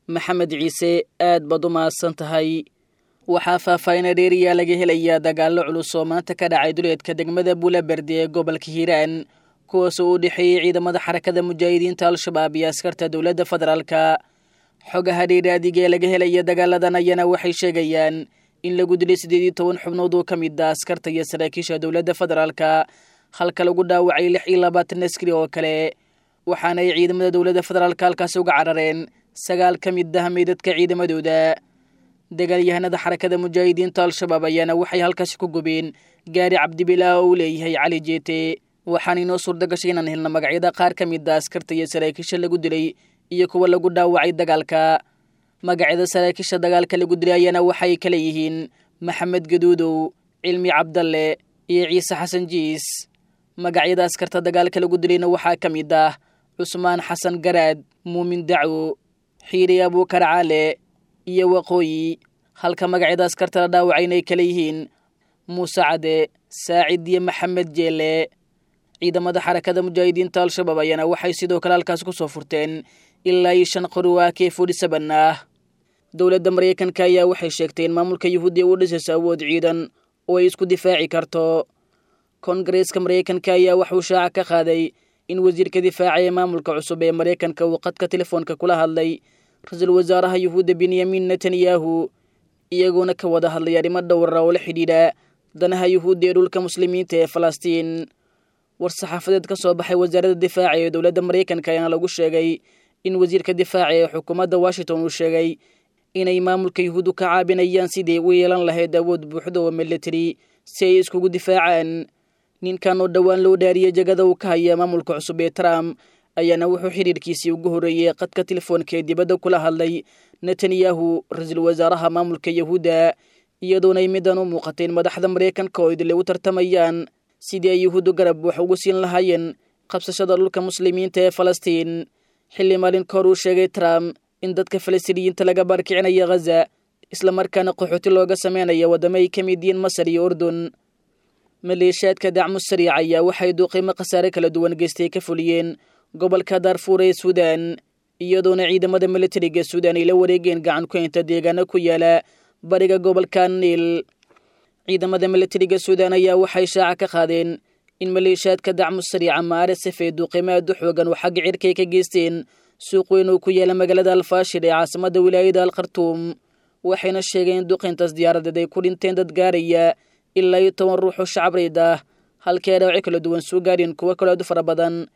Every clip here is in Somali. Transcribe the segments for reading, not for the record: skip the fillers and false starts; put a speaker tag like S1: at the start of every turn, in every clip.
S1: Maxamed Ciise, aad baad u mahadsan tahay. Waxaa faahfaahina dheeriyaa laga helayaa dagaallo culus oo maanta ka dhacay duleedka degmada Buulaberde ee gobolka Hiiraan, kuwaasoo u dhexeeyey ciidamada Xarakada Mujaahidiinta Al-Shabaab iyo askarta dowladda federaalka. Xogaha dheeraadiga ee laga helaya dagaaladan ayaana waxay sheegayaan in lagu dilay 18 xubnood oo ka mid ah askarta iyo saraakiisha dowladda federaalka, halka lagu dhaawacay 26 askari oo kale, waxaana ay ciidamada dowladda federaalka halkaasi uga carareen 9 ka mid ah meydadka ciidamadooda. Dagaalyahanada Xarakada Mujaahidiinta Al-Shabaab ayaana waxay halkaasi ku gubeen gaari Cabdibilaa oo uu leeyahay Cali Jeete. Waxaana inoo suurta gashay inaan helno magacyada qaar ka mid ah askarta iyo saraakiisha lagu dilay iyo kuwa lagu dhaawacay dagaalka. Magacyada saraakiisha dagaalka lagu dilay ayaana waxay kala yihiin Maxamed Gaduudow, Cilmi Cabdalle iyo Ciise Xasan Jiis. Magacyada askarta dagaalka lagu dilayna waxaa ka mid ah Cusmaan Xasan Garaad, Muumin Dacwo, Xiiri Abuukar Caale iyo Waqooyi, halka magacyada askarta la dhaawacayna ay kala yihiin Muuse Cade, Saacid iyo Maxamed Jeele. Ciidamada Xarakada Mujaahidiinta Al-Shabaab ayaana waxay sidoo kale halkaas ku soo furteen ilaa iyo 5 qori oo AK-47 ah. Dowladda Maraykanka ayaa waxay sheegtay in maamulka Yuhuudiya u dhisayso awood ciidan oo ay isku difaaci karto. Koongareeska Maraykanka ayaa waxuu shaaca ka qaaday in wasiirka difaaca ee maamulka cusub ee Maraykanka uu qadka telefoonka kula hadlay ra-iisul wasaaraha Yuhuudda Benyamin Netanyahu, iyagoona ka wada hadlay arrimo dhowra oo la xidhiidha danaha Yuhuudda ee dhulka muslimiinta ee Falastiin. War-saxaafadeed ka soo baxay wasaaradda difaaca ee dowladda Maraykanka ayaana lagu sheegay in wasiirka difaaca ee xukuumadda Washington uu sheegay inay maamulka Yuhuuddu ka caabinayaan sidii u yeelan lahayd awood buuxda oo military si ay iskugu difaacaan. Ninkan oo dhowaan loo dhaariyey jagada uu ka haya maamulka cusub ee Trump ayaana wuxuu xidhiirkiisii ugu horreeyey qadka telefoonka ee dibadda kula hadlay Netanyahu, ra-iisul wasaaraha maamulka Yahuudda, iyadoona ay midan u muuqatay in madaxda Maraykanka oo idile u tartamayaan sidii ay Yuhuuddu garab wax ugu siin lahaayeen qabsashada dhulka muslimiinta ee Falastiin, xilli maalin ka hor uu sheegay Trump in dadka Falastiiniyiinta laga baarkicinaya Ghaza, islamarkaana qaxooti looga sameynaya waddamo ay ka mid yihiin Masar iyo Urdun. Maleeshiyaadka Dacmu Sariic ayaa waxay duuqiimo khasaare kala duwan geystay ka fuliyeen gobolka Daarfuur ee Suudaan, iyadoona ciidamada militariga Suudaan ay la wareegeen gacan ku haynta deegaano ku yaala bariga gobolka Niil. Ciidamada militariga Suudaan ayaa waxay shaaca ka qaadeen in maleeshiyaadka Dacmu Sariic ama RSF ay duuqiimo aad u xoogan oo xagga cirkay ka geysteen suuq weyn oo ku yaala magaalada Alfaashir ee caasimadda wilaayada Alkhartuum, waxayna sheegeen in duqintaas diyaaradeed ay ku dhinteen dad gaaraya ilaa iyo 10 ruux oo shacab reyd ah, halkii ay dhaawacyo kala duwan soo gaareen kuwo kaloo aad u fara badan.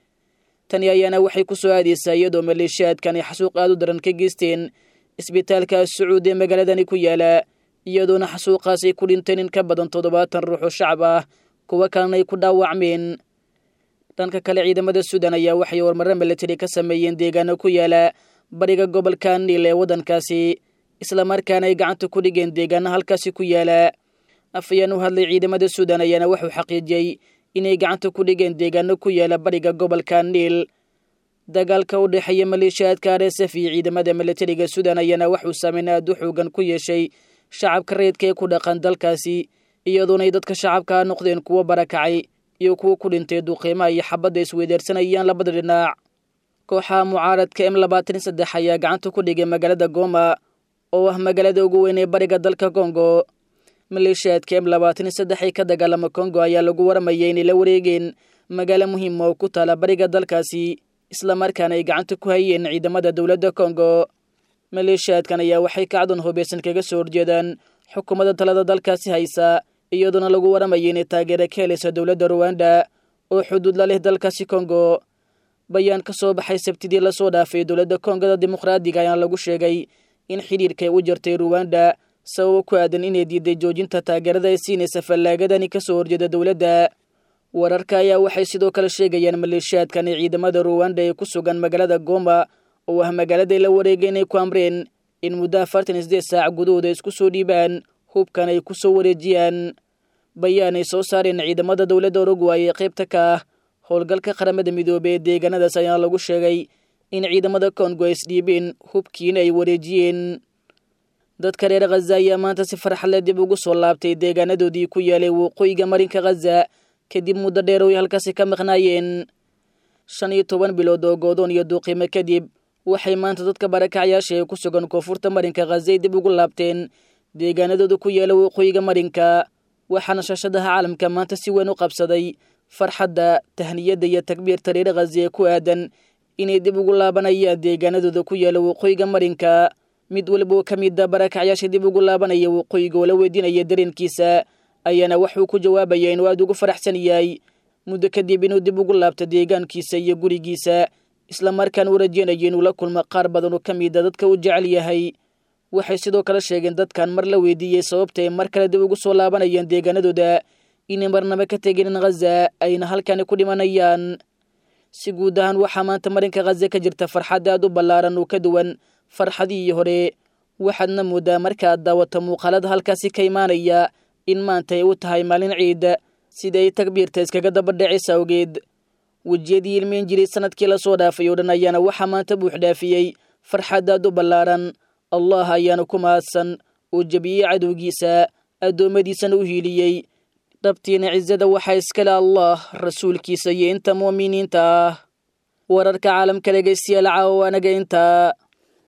S1: Tani ayaana waxay ku soo aadaysaa iyadoo maleeshiyaadkan ay xasuuq aad u daran ka geysteen isbitaalka Sacuud ee magaaladani ku yaala, iyadoona xasuuqaas ay ku dhinteen in ka badan 70 ruux oo shacab ah, kuwo kalena ay ku dhaawacmeen. Dhanka kale, ciidamada Suudaan ayaa waxay horumarro militari ka sameeyeen deegaano ku yaala bariga gobolka Niil ee waddankaasi, islamarkaana ay gacanta ku dhigeen deegaano halkaasi ku yaala. Afayeen u hadlay ciidamada Suudaan ayaana wuxuu xaqiijiyey inay gacanta ku dhigeen deegaano ku yaala bariga gobolka Niil. Dagaalka u dhexeeya maleeshiyaadka RSF iyo ciidamada militariga Suudaan ayaana waxuu saameyn aad u xoogan ku yeeshay shacabka rayidka ee ku dhaqan dalkaasi, iyadoona ay dadka shacabka noqdeen kuwo barakacay iyo kuwo ku dhintay duuqiimaha iyo xabadda isweydaarsanayaan labada dhinac. Kooxaha mucaaradka M23 ayaa gacanta ku dhigay magaalada Goma oo ah magaalada ugu weyn ee bariga dalka Kongo. Maleeshiyaadka M23 ee ka dagaalama Kongo ayaa lagu waramayay inay la wareegeen magaalo muhiima oo ku taala bariga dalkaasi, islamarkaana ay gacanta ku hayeen ciidamada dowladda Kongo. Maleeshiyaadkan ayaa waxay kacdoon hubaysan kaga soo horjeedaan xukuumadda talada dalkaasi haysa, iyadoona lagu waramayay inay taageero ka helaysa dowladda Ruwanda oo xuduud la leh dalkaasi Kongo. Bayaan ka soo baxay Sabtidii lasoo dhaafay dowladda Kongada Dimuqraadiga ayaana lagu sheegay in xidhiirkay u jartay Ruwanda sababo ku aadan inay diiday joojinta taageerada ay siinaysa fallaagadani ka soo horjeeda dowladda. Wararka ayaa waxay sidoo kale sheegayaan maleeshiyaadkan ee ciidamada Ruwanda ee ku sugan magaalada Goma oo ah magaaladay la wareegay inay ku amreen in muddo 48 saac gudahooda isku soo dhiibaan hubkan ay ku soo wareejiyaan. Bayaan ay soo saareen ciidamada dowladda Uruguay ee qaybta ka ah howlgalka Qaramada Midoobey ee deegaanadaas ayaa lagu sheegay in ciidamada Kongo ay isdhiibeen hubkiina ay wareejiyeen. Dadka reer Khaza ayaa maanta si farxad leh dib ugu soo laabtay deegaanadoodii ku yaalay waqooyiga marinka Khaza kadib muddo dheer oo ay halkaasi ka maqnaayeen. 15 bilood oo goodoon iyo duuqiimo kadib, Waxay maanta dadka barakacyaasha ee ku sugan koonfurta marinka Khaza ay dib ugu laabteen deegaanadooda ku yaala waqooyiga marinka. Waxaana shaashadaha caalamka maanta si weyn u qabsaday farxadda, tahniyadda iyo takbiirta reer Khaza ee ku aadan inay dib ugu laabanayaan deegaanadooda ku yaala waqooyiga marinka. Mid waliba oo ka mid a barakacyaasha dib ugu laabanaya waqooyiga oo la weydiinaya dareenkiisa ayaana waxuu ku jawaabaya inuu aada ugu faraxsan yahay muddo kadib inuu dib ugu laabto deegaankiisa iyo gurigiisa, islamarkaana u rajeynayo inuu la kulmo qaar badan oo ka mid a dadka uu jecel yahay. Waxay sidoo kale sheegeen dadkan mar la weydiiyey sababta ay mar kale dib ugu soo laabanayaan deegaanadooda inay marnaba ka tegin Khaza ayna halkani ku dhimanayaan. Si guud ahaan waxaa maanta marinka Khaza ka jirta farxad aad u ballaaran oo ka duwan farxadihii hore. Waxaadna moodaa markaad daawato muuqaalada halkaasi ka imaanaya in maanta ay u tahay maalin ciid, sida ay takbiirta iskaga daba dhacaysa awgeed. Wejiyadii ilmeyn jiray sanadkii lasoo dhaafay oo dhan ayaana waxaa maanta buux dhaafiyey farxad aad u ballaaran. Allah ayaana ku mahadsan oo jebiyey cadowgiisa, addoommadiisana u hiiliyey. Dhabtiina cisada waxaa iskale Allah, rasuulkiisa iyo inta mu'miniinta ah. Wararka caalamka dhegaystayaal caawa anaga intaa.